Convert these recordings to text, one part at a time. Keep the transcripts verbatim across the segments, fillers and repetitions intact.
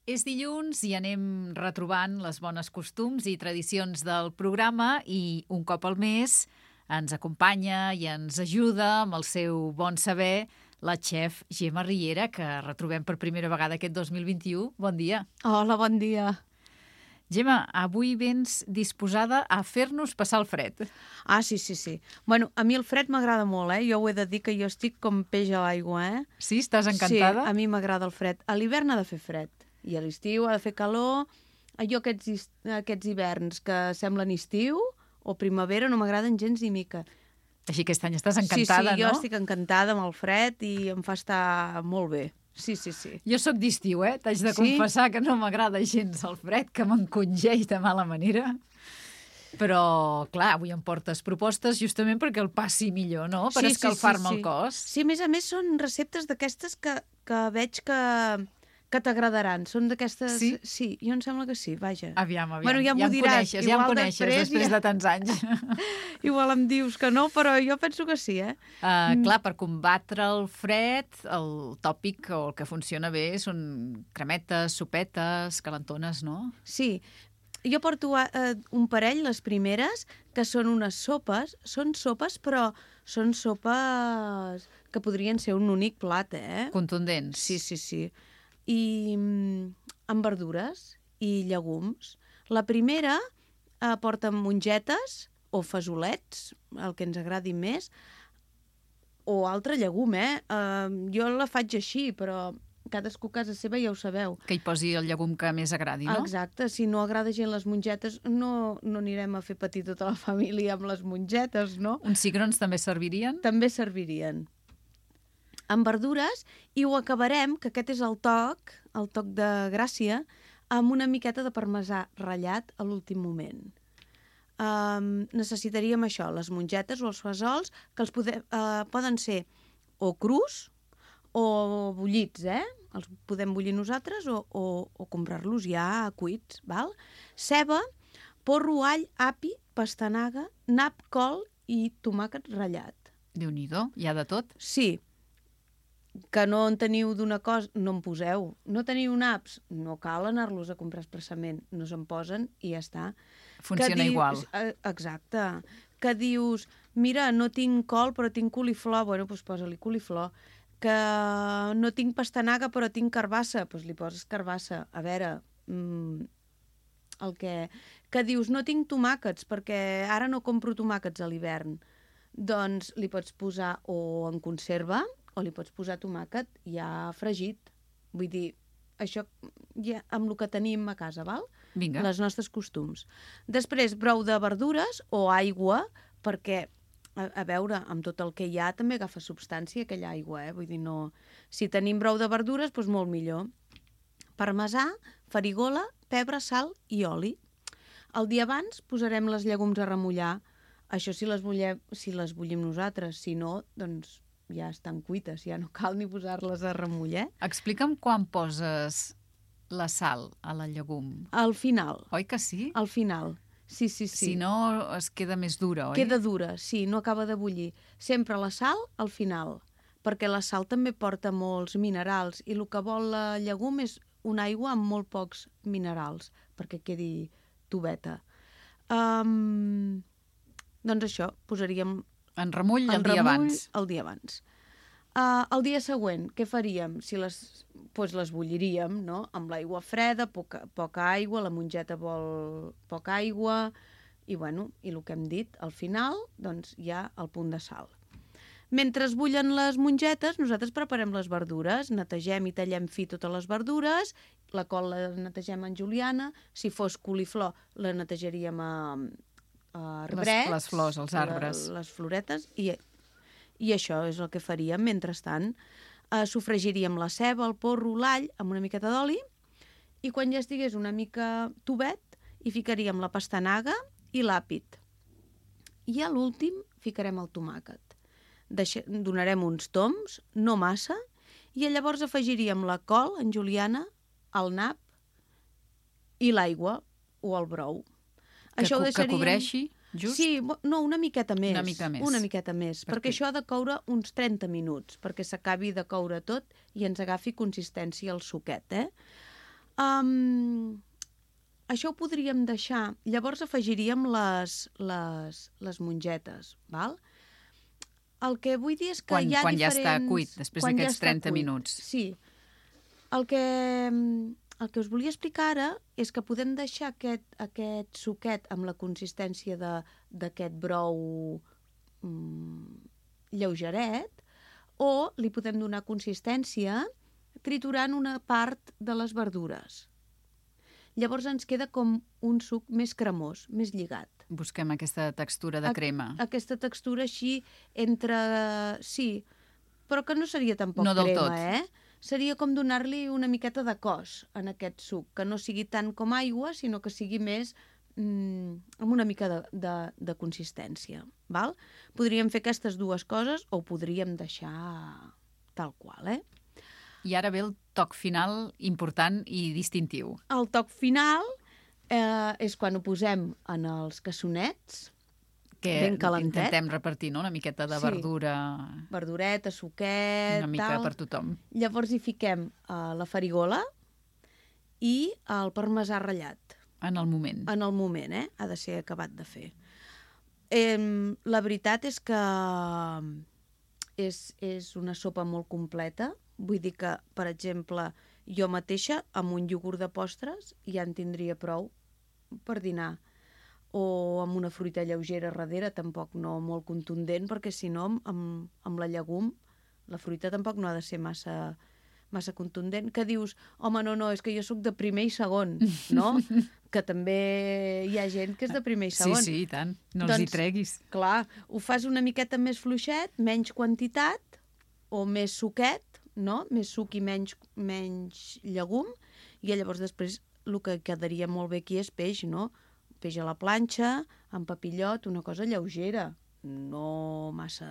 És dilluns i anem retrobant les bones costums i tradicions del programa i un cop al mes ens acompanya i ens ajuda amb el seu bon saber la xef Gemma Riera, que retrobem per primera vegada aquest dos mil vint-i-u. Bon dia. Hola, bon dia. Gemma, avui vens disposada a fer-nos passar el fred. Ah, sí, sí, sí. Bueno, a mi el fred m'agrada molt, eh? Jo ho he de dir que jo estic com peix a l'aigua, eh? Sí? Estàs encantada? Sí, a mi m'agrada el fred. A l'hivern ha de fer fred. I a l'estiu ha de fer calor. Jo aquests, aquests hiverns que semblen estiu o primavera no m'agraden gens ni mica. Així que aquest any estàs encantada, no? Sí, sí, jo no? estic encantada amb el fred i em fa estar molt bé. Sí, sí, sí. Jo sóc d'estiu, eh? T'haig de Sí? confessar que no m'agrada gens el fred, que m'encongeix de mala manera. Però, clar, avui em portes propostes justament perquè el passi millor, no? Per Sí, sí, escalfar-me sí, el sí. cos. Sí, a més a més són receptes d'aquestes que, que veig que, que t'agradaran. Són d'aquestes... Sí? Sí, jo em sembla que sí, vaja. Aviam, aviam. Bueno, ja m'ho em diràs. coneixes, ja em Igual coneixes després després ja- de tants anys. Igual em dius que no, però jo penso que sí, eh? Uh, clar, per combatre el fred, el tòpic o el que funciona bé són cremetes, sopetes, calentones, no? Sí. Jo porto eh, un parell, les primeres, que són unes sopes. Són sopes, però són sopes que podrien ser un únic plat, eh? Contundents. Sí, sí, sí. I mm, amb verdures i llegums. La primera eh, porta mongetes o fesolets, el que ens agradi més, o altre llegum, eh? eh? Jo la faig així, però cadascú a casa seva ja ho sabeu. Que hi posi el llegum que més agradi, no? Exacte, si no agrada gent les mongetes, no, no anirem a fer patir tota la família amb les mongetes, no? Uns cigrons també servirien? També servirien. Amb verdures, i ho acabarem, que aquest és el toc, el toc de gràcia, amb una miqueta de parmesà ratllat a l'últim moment. Um, necessitaríem això, les mongetes o els fesols, que els pode, uh, poden ser o crus o bullits, eh? Els podem bullir nosaltres o, o, o comprar-los ja cuits, val? Ceba, porro, all, api, pastanaga, nap, col i tomàquet ratllat. Déu-n'hi-do, hi ha de tot. Sí, que no en teniu d'una cosa, no en poseu. No teniu naps? No cal anar-los a comprar expressament. No se'n posen i ja està. Funciona Que dius- igual. eh, Exacte. Que dius, mira, no tinc col però tinc coliflor, bueno, doncs posa-li coliflor. Que no tinc pastanaga però tinc carbassa, doncs li poses carbassa. A veure, mm, el que... Que dius, no tinc tomàquets perquè ara no compro tomàquets a l'hivern. Doncs li pots posar o en conserva o li pots posar tomàquet ja fregit. Vull dir, això ja amb el que tenim a casa, val? Vinga. Les nostres costums. Després, brou de verdures o aigua, perquè, a, a veure, amb tot el que hi ha també agafa substància aquella aigua, eh? Vull dir, no... Si tenim brou de verdures, doncs molt millor. Parmesà, farigola, pebre, sal i oli. El dia abans posarem les llegums a remullar. Això si les, bullem, si les bullim nosaltres. Si no, doncs ja estan cuites, ja no cal ni posar-les a remullar. Explica'm quan poses la sal a la llegum. Al final, Oi que sí? al final. Sí, sí, sí. Si no, es queda més dura, oi? Queda dura, sí, no acaba de bullir. Sempre la sal al final, perquè la sal també porta molts minerals i el que vol la llegum és una aigua amb molt pocs minerals, perquè quedi tubeta. Um, doncs això, posaríem En remull el en dia remull abans. el dia abans. Uh, el dia següent, què faríem? Si les, pues les bulliríem, no? Amb l'aigua freda, poca, poca aigua, la mongeta vol poca aigua, i bueno, i el que hem dit, al final, doncs hi ha el punt de sal. Mentre es bullen les mongetes, nosaltres preparem les verdures, netegem i tallem fi totes les verdures, la col la netegem en juliana, si fos coliflor la netejaríem a, a arbrets, Les- les flors, els arbres. la, les floretes, i, i això és el que faríem. Mentrestant, eh, sofregiríem la ceba, el porro, l'all, amb una miqueta d'oli, i quan ja estigués una mica tubet, hi ficaríem la pastanaga i l'àpid. I a l'últim ficarem el tomàquet. Deixa, donarem uns toms, no massa, i llavors afegiríem la col en juliana, el nap i l'aigua o el brou. Que, Això ho co- que deixaríem... cobreixi, just? Sí, bo- no, una miqueta més. Una mica més. Una miqueta més, Per perquè què? això ha de coure uns trenta minuts, perquè s'acabi de coure tot i ens agafi consistència el suquet, eh? Um, això ho podríem deixar. Llavors afegiríem les, les, les mongetes, val? El que vull dir és que Quan, hi ha quan diferents... ja està cuit, després quan ja d'aquests està trenta cuit. minuts. Sí. El que, el que us volia explicar ara és que podem deixar aquest, aquest suquet amb la consistència de- d'aquest brou mm, lleugeret, o li podem donar consistència triturant una part de les verdures. Llavors ens queda com un suc més cremós, més lligat. Busquem aquesta textura de A- crema. Aquesta textura així entre... Sí, però que no seria tampoc No del crema, tot. eh? Seria com donar-li una miqueta de cos en aquest suc, que no sigui tant com aigua, sinó que sigui més mm, amb una mica de, de, de consistència. Val? Podríem fer aquestes dues coses o ho podríem deixar tal qual, eh? I ara ve el toc final important i distintiu. El toc final eh, és quan ho posem en els cassonets, Que ben calentet. intentem repartir, no?, una miqueta de Sí. verdura, verdureta, suquet, una mica tal. per tothom. Llavors hi fiquem uh, la farigola i el parmesà ratllat. En el moment. En el moment, eh? Ha de ser acabat de fer. Eh, la veritat és que és, és una sopa molt completa. Vull dir que, per exemple, jo mateixa, amb un iogurt de postres, ja en tindria prou per dinar. O amb una fruita lleugera darrere, tampoc no molt contundent, perquè si no, amb, amb la llegum, la fruita tampoc no ha de ser massa, massa contundent. Que dius, home, no, no, és que jo sóc de primer i segon, no? Que també hi ha gent que és de primer i Sí, segon. sí, i tant. No els Doncs, hi treguis. Clar, ho fas una miqueta més fluixet, menys quantitat, o més suquet, no? Més suc i menys, menys llegum, i llavors després el que quedaria molt bé aquí és peix, no? Peix a la planxa, amb papillot, una cosa lleugera, no massa,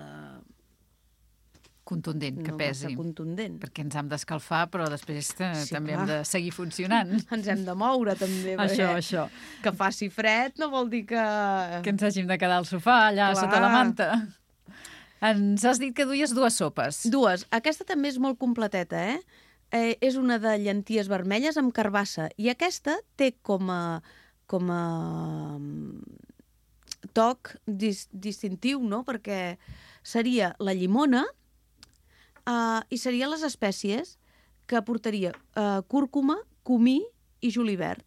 Contundent, que no pesi. massa contundent. Perquè ens hem d'escalfar, però després eh, Sí, també clar. hem de seguir funcionant. Ens hem de moure, també. Això, perquè això. Que faci fred no vol dir que... Que ens hàgim de quedar al sofà, allà Clar. sota la manta. Ens has dit que duies dues sopes. Dues. Aquesta també és molt completeta, eh? eh és una de llenties vermelles amb carbassa. I aquesta té com a, com a mm, toc dis, distintiu, no? Perquè seria la llimona uh, i serien les espècies que portaria uh, cúrcuma, comí i julivert.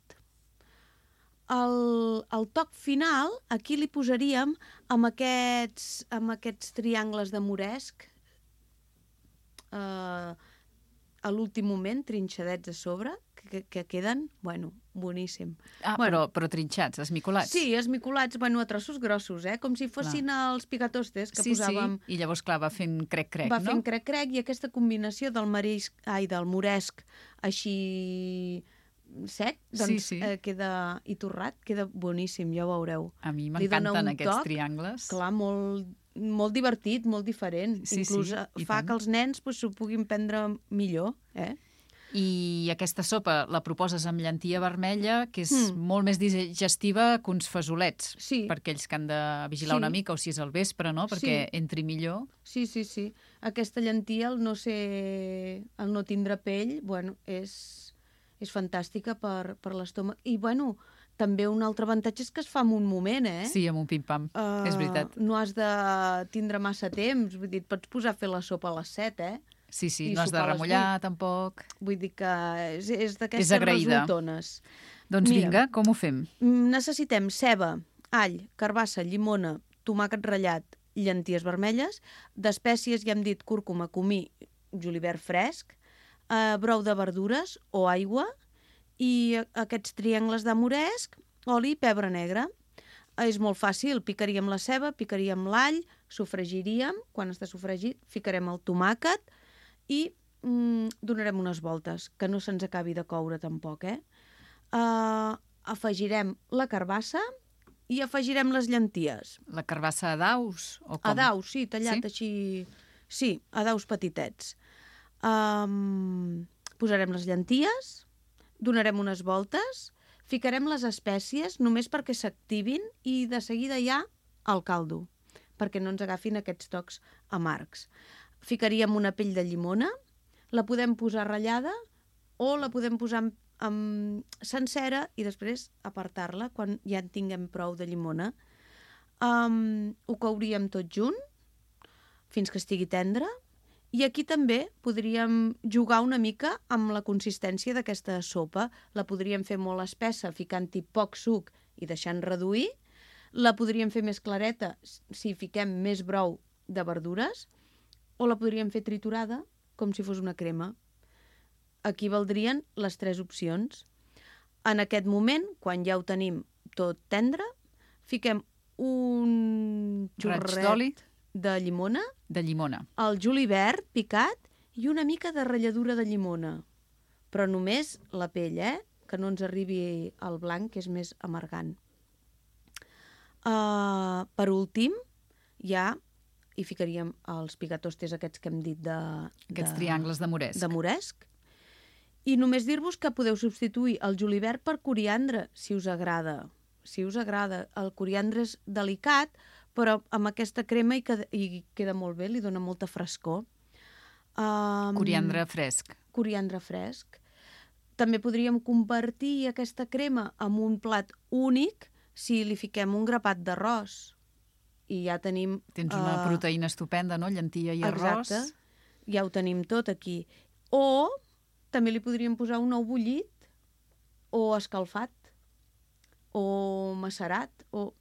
El, el toc final, aquí li posaríem amb aquests, amb aquests triangles de moresc eh, a l'últim moment, trinxadets a sobre, que, que queden, bueno, boníssim. Ah, Bueno. però, però trinxats, esmicolats. Sí, esmicolats, bueno, a trossos grossos, eh? Com si fossin els picatostes que sí, posàvem... sí. I llavors, clar, va fent crec-crec, Va no? fent crec-crec, i aquesta combinació del marisc, ai, del moresc així sec, doncs Sí, sí. Eh, queda i torrat, queda boníssim, ja ho veureu. A mi Li dona m'encanten un aquests toc, triangles. Clar, molt, molt divertit, molt diferent. Sí, Inclús sí, eh, i fa tant. que els nens pues, s'ho puguin prendre millor, eh? I aquesta sopa la proposes amb llentia vermella, que és Mm. molt més digestiva que uns fesolets. Sí. Per aquells que han de vigilar Sí. una mica, o si és al vespre, no? Perquè Sí. entri millor. Sí, sí, sí. Aquesta llentia, el no ser... el no tindre pell, bueno, és, és fantàstica per, per l'estómac. I, bueno, també un altre avantatge és que es fa en un moment, eh? Sí, amb un pim-pam, Uh, és veritat. No has de tindre massa temps, vull dir, et pots posar a fer la sopa a les set, eh? Sí, sí, i no has de sopar a les remullar, tampoc. Vull dir que és, és És d'aquestes agraïda. resultones. Doncs Mira. vinga, com ho fem? Mm, Necessitem ceba, all, carbassa, llimona, tomàquet ratllat, llenties vermelles, d'espècies, ja hem dit, cúrcuma, comí, julivert fresc, eh, brou de verdures o aigua, i a- aquests triangles de moresc, oli i pebre negre. Eh, És molt fàcil, picaríem la ceba, picaríem l'all, sofregiríem, quan està sofregit ficarem el tomàquet i mm, donarem unes voltes, que no se'ns acabi de coure tampoc, eh? Uh, afegirem la carbassa i afegirem les llenties. La carbassa a daus? O com? A daus, sí, tallat Sí? així... Sí, a daus petitets. Um, posarem les llenties, donarem unes voltes, ficarem les espècies només perquè s'activin i de seguida ja al caldo, perquè no ens agafin aquests tocs amargs. Ficaríem una pell de llimona, la podem posar ratllada o la podem posar en, um, sencera i després apartar-la quan ja en tinguem prou de llimona. Um, ho couríem tot junt fins que estigui tendre i aquí també podríem jugar una mica amb la consistència d'aquesta sopa. La podríem fer molt espessa ficant-hi poc suc i deixant reduir. La podríem fer més clareta si fiquem més brou de verdures o la podríem fer triturada com si fos una crema. Aquí valdrien les tres opcions. En aquest moment, quan ja ho tenim tot tendre, fiquem un xorret de llimona, de llimona, el julivert picat i una mica de ratlladura de llimona. Però només la pell, eh? Que no ens arribi al blanc, que és més amargant. Uh, per últim, ja hi ficaríem els pigatostes aquests que hem dit de... Aquests de, triangles de moresc. De moresc. I només dir-vos que podeu substituir el julivert per coriandre, si us agrada. Si us agrada. El coriandre és delicat, però amb aquesta crema hi queda, hi queda molt bé, li dona molta frescor. Um, coriandre fresc. Coriandre fresc. També podríem convertir aquesta crema en un plat únic si li fiquem un grapat d'arròs. I ja tenim... Tens una uh, proteïna estupenda, no? Llantilla i arròs. Exacte. Ja ho tenim tot aquí. O també li podríem posar un ou bullit o escalfat o macerat, o...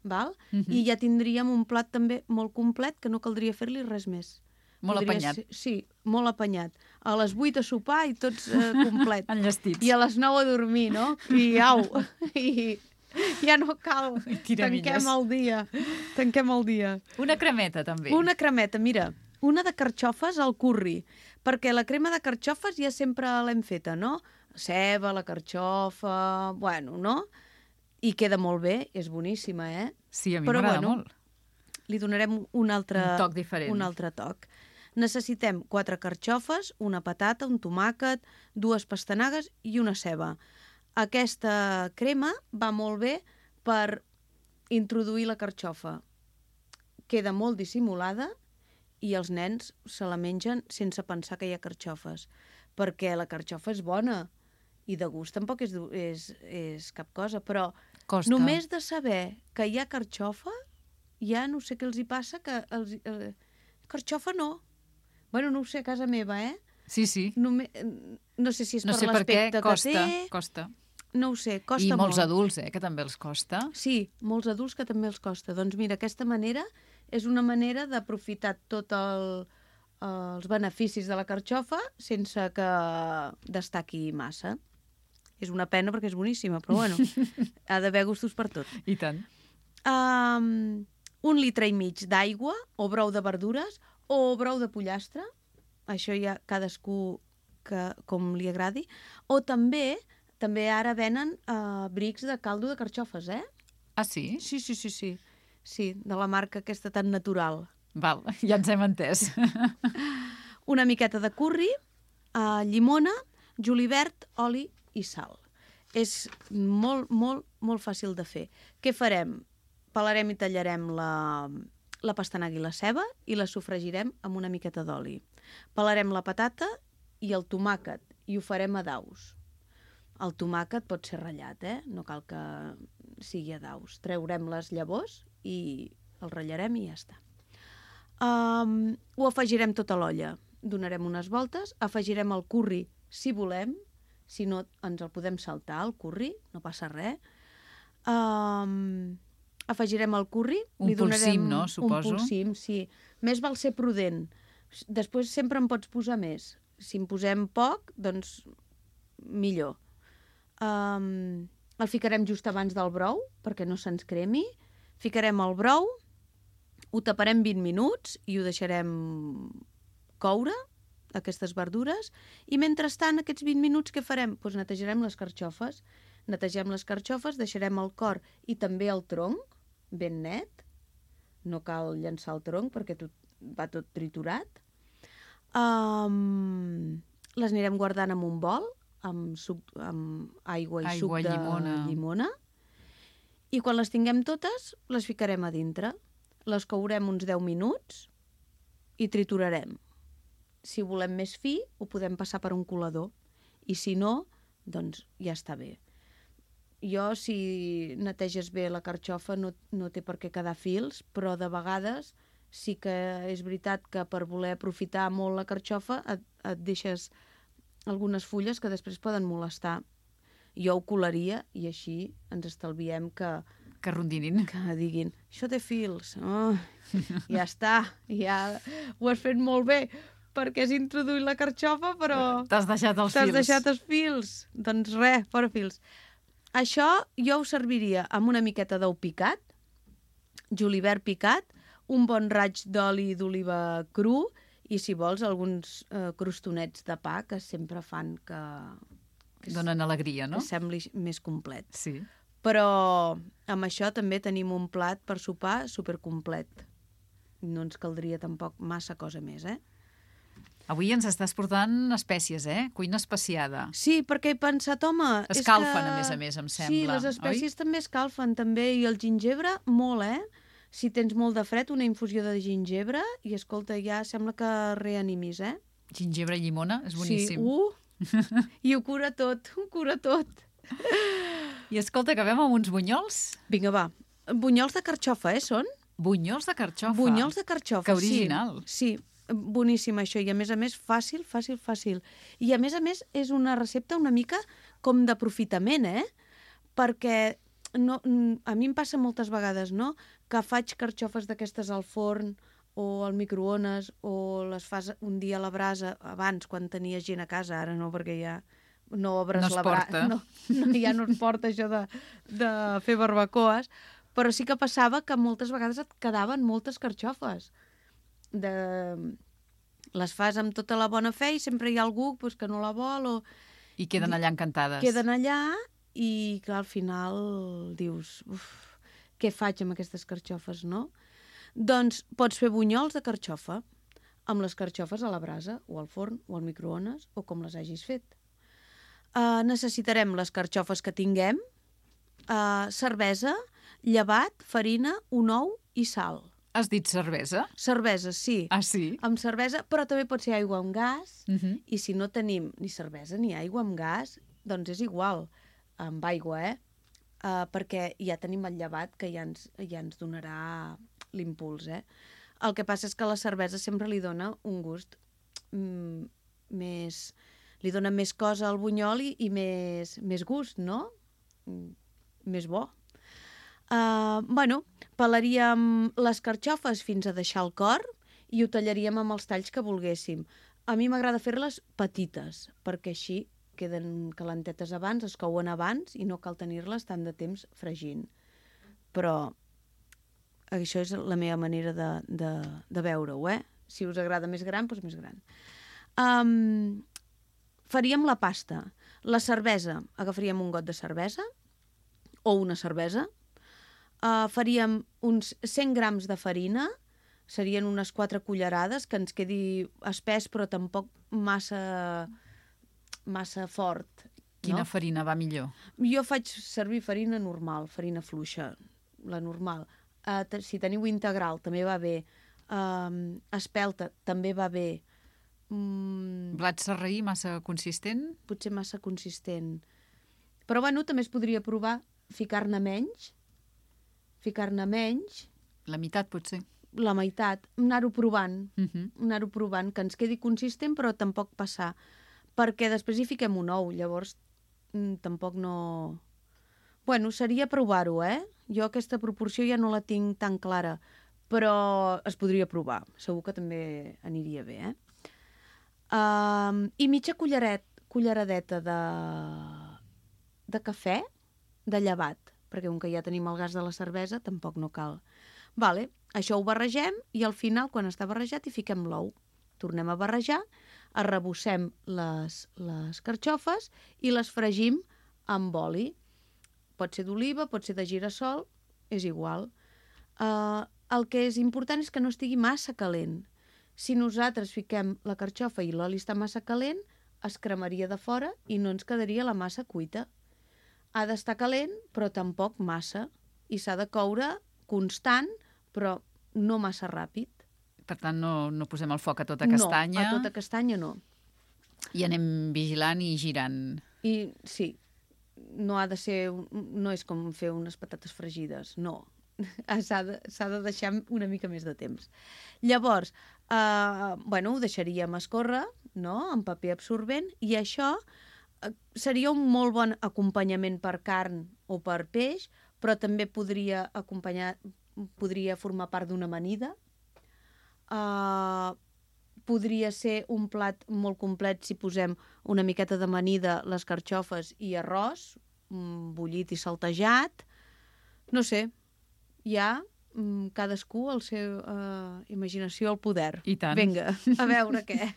val? Uh -huh. I ja tindríem un plat també molt complet que no caldria fer-li res més. Molt Podria apanyat. Ser... Sí, molt apanyat. A les vuit a sopar i tots eh, complet. Enllestits. I a les nou a dormir, no? I au! I ja no cal. Tanquem el dia. Tanquem el dia. Una cremeta, també. Una cremeta, mira. Una de carxofes al curri. Perquè la crema de carxofes ja sempre l'hem feta, no? Ceba, la carxofa... Bueno, no? I queda molt bé, és boníssima, eh? Sí, a mi m'agrada bueno, molt. Li donarem un altre, un toc diferent. Un altre toc. Necessitem quatre carxofes, una patata, un tomàquet, dues pastanagues i una ceba. Aquesta crema va molt bé per introduir la carxofa. Queda molt dissimulada i els nens se la mengen sense pensar que hi ha carxofes, perquè la carxofa és bona i de gust tampoc és, és, és cap cosa, però Costa. Només de saber que hi ha carxofa, ja no sé què els hi passa, que els, eh, carxofa no. Bueno, no ho sé, a casa meva, eh? Sí, sí. Només, no sé si és no per sé l'aspecte que costa, té. costa. No ho sé, costa I molt. I molts adults, eh, que també els costa. Sí, molts adults que també els costa. Doncs mira, aquesta manera és una manera d'aprofitar tot el, els beneficis de la carxofa sense que destaqui massa. És una pena perquè és boníssima, però bueno, ha d'haver gustos per tot. I tant. Um, un litre i mig d'aigua, o brou de verdures, o brou de pollastre, això ja cadascú que, com li agradi, o també també ara venen uh, brics de caldo de carxofes, eh? Ah, sí? Sí, sí, sí, sí. Sí, de la marca aquesta tan natural. Val, ja ens hem entès. Una miqueta de curri, uh, llimona, julivert, oli i sal. És molt, molt, molt fàcil de fer. Què farem? Pelarem i tallarem la, la pastanaga i la ceba i la sofregirem amb una miqueta d'oli. Pelarem la patata i el tomàquet i ho farem a daus. El tomàquet pot ser ratllat, eh? No cal que sigui a daus. Treurem les llavors i el ratllarem i ja està. Um, ho afegirem tot a l'olla. Donarem unes voltes, afegirem el curri si volem, si no ens el podem saltar, el curri, no passa res. Um, afegirem el curri. Un li polsim, no? Suposo. Un polsim, sí. Més val ser prudent. Després sempre en pots posar més. Si en posem poc, doncs millor. Um, el ficarem just abans del brou, perquè no se'ns cremi. Ficarem el brou, ho taparem vint minuts i ho deixarem coure, aquestes verdures, i mentrestant, aquests vint minuts, què farem? Doncs netejarem les carxofes. Netegem les carxofes, deixarem el cor i també el tronc ben net. No cal llançar el tronc perquè tot, va tot triturat. Um, les anirem guardant en un bol, amb, suc, amb aigua i aigua, suc de llimona. llimona. I quan les tinguem totes, les ficarem a dintre. Les courem uns deu minuts i triturarem. Si volem més fi, ho podem passar per un colador. I si no, doncs ja està bé. Jo, si neteges bé la carxofa, no, no té per què quedar fils, però de vegades sí que és veritat que per voler aprofitar molt la carxofa et, et deixes algunes fulles que després poden molestar. Jo ho colaria i així ens estalviem que... Que rondinin. Que diguin, això té fils. Oh, ja està, ja ho has fet molt bé, perquè has introduït la carxofa, però... T'has deixat els T'has fils. deixat els fils. Doncs res, fora fils. Això jo ho serviria amb una miqueta d'ou picat, julivert picat, un bon raig d'oli d'oliva cru i, si vols, alguns eh, crostonets de pa que sempre fan que... que Donen alegria, no? Que sembli més complet. Sí. Però amb això també tenim un plat per sopar supercomplet. No ens caldria tampoc massa cosa més, eh? Avui ens estàs portant espècies, eh? Cuina especiada. Sí, perquè he pensat, home... Escalfen, és que... a més a més, em sembla. Sí, les espècies oi? també escalfen, també. I el gingebre, molt, eh? Si tens molt de fred, una infusió de gingebre i, escolta, ja sembla que reanimis, eh? Gingebre i llimona, és boníssim. Sí, uh! I ho cura tot, ho cura tot. I escolta, acabem amb uns bunyols? Vinga, va. Bunyols de carxofa, eh, són? Bunyols de carxofa. Bunyols de carxofa, Que original. Sí, sí, boníssim això. I a més a més, fàcil, fàcil, fàcil. I a més a més, és una recepta una mica com d'aprofitament, eh? Perquè no, a mi em passa moltes vegades, no?, que faig carxofes d'aquestes al forn o al microones o les fas un dia a la brasa, abans, quan tenies gent a casa, ara no, perquè ja no obres no la brasa. No, no, ja no es porta això de, de fer barbacoes, però sí que passava que moltes vegades et quedaven moltes carxofes. De... Les fas amb tota la bona fe i sempre hi ha algú pues, que no la vol o... I queden allà encantades. Queden allà i, clar, al final dius, uf, què faig amb aquestes carxofes, no? Doncs pots fer bunyols de carxofa amb les carxofes a la brasa o al forn o al microones o com les hagis fet. Uh, necessitarem les carxofes que tinguem, uh, cervesa, llevat, farina, un ou i sal. Has dit cervesa? Cervesa, sí. Ah, sí? Amb cervesa, però també pot ser aigua amb gas, Uh -huh. i si no tenim ni cervesa ni aigua amb gas, doncs és igual, amb aigua, eh? Uh, perquè ja tenim el llevat que ja ens, ja ens donarà l'impuls, eh? El que passa és que la cervesa sempre li dona un gust mm, més... li dona més cosa al bunyol i, i més, més gust, no? Mm, més bo. Uh, bueno, pelaríem les carxofes fins a deixar el cor i ho tallaríem amb els talls que volguéssim. A mi m'agrada fer-les petites, perquè així queden calentetes abans, es couen abans i no cal tenir-les tant de temps fregint. Però això és la meva manera de, de, de veure-ho, eh? Si us agrada més gran, doncs més gran. Um, faríem la pasta. La cervesa, agafaríem un got de cervesa o una cervesa. Uh, faríem uns cent grams de farina, serien unes quatre cullerades, que ens quedi espès però tampoc massa, massa fort. Quina no? farina va millor? Jo faig servir farina normal, farina fluixa, la normal. Uh, si teniu integral també va bé, uh, espelta també va bé. Mm, Blat sarraí massa consistent? potser massa consistent. Però bueno, també es podria provar ficar-ne menys, ficar-ne menys, La meitat, potser. la meitat, anar-ho provant, Uh -huh. anar-ho provant, que ens quedi consistent però tampoc passar, perquè després hi fiquem un ou, llavors mm, tampoc no... Bueno, seria provar-ho, eh? Jo aquesta proporció ja no la tinc tan clara, però es podria provar, segur que també aniria bé, eh? Um, I mitja culleret, culleradeta de, de cafè, de llevat, perquè com que ja tenim el gas de la cervesa, tampoc no cal. Vale, això ho barregem i al final, quan està barrejat, hi fiquem l'ou. Tornem a barrejar, arrebossem les, les carxofes i les fregim amb oli. Pot ser d'oliva, pot ser de girassol, és igual. Uh, el que és important és que no estigui massa calent. Si nosaltres fiquem la carxofa i l'oli està massa calent, es cremaria de fora i no ens quedaria la massa cuita. Ha d'estar calent, però tampoc massa. I s'ha de coure constant, però no massa ràpid. Per tant, no, no posem el foc a tota castanya. No, a tota castanya no. I anem vigilant i girant. I sí, no ha de ser... No és com fer unes patates fregides, no. S'ha de, s'ha de deixar una mica més de temps. Llavors, eh, bueno, ho deixaríem escórrer, no?, en paper absorbent, i això eh, seria un molt bon acompanyament per carn o per peix, però també podria acompanyar, podria formar part d'una amanida. Eh, podria ser un plat molt complet si posem una miqueta d'amanida, les carxofes i arròs, bullit i saltejat. No sé, hi ha mm, cadascú el seu uh, imaginació al poder. I tant. Vinga, a veure què.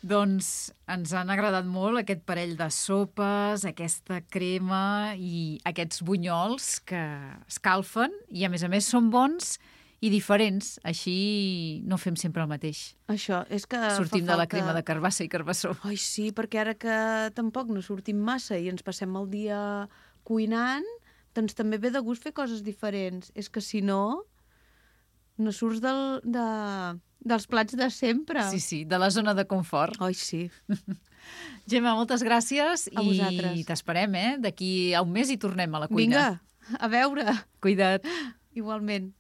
Doncs ens han agradat molt aquest parell de sopes, aquesta crema i aquests bunyols que escalfen i, a més a més, són bons i diferents. Així no fem sempre el mateix. Això, és que sortim fa de la falta... crema de carbassa i carbassó. Ai, sí, perquè ara que tampoc no sortim massa i ens passem el dia cuinant, doncs també ve de gust fer coses diferents. És que si no, no surts del, de, dels plats de sempre. Sí, sí, de la zona de confort. Ai, sí. Gemma, moltes gràcies a i vosaltres. T'esperem, eh? D'aquí a un mes hi tornem a la cuina. Vinga, a veure. Cuida't. Igualment.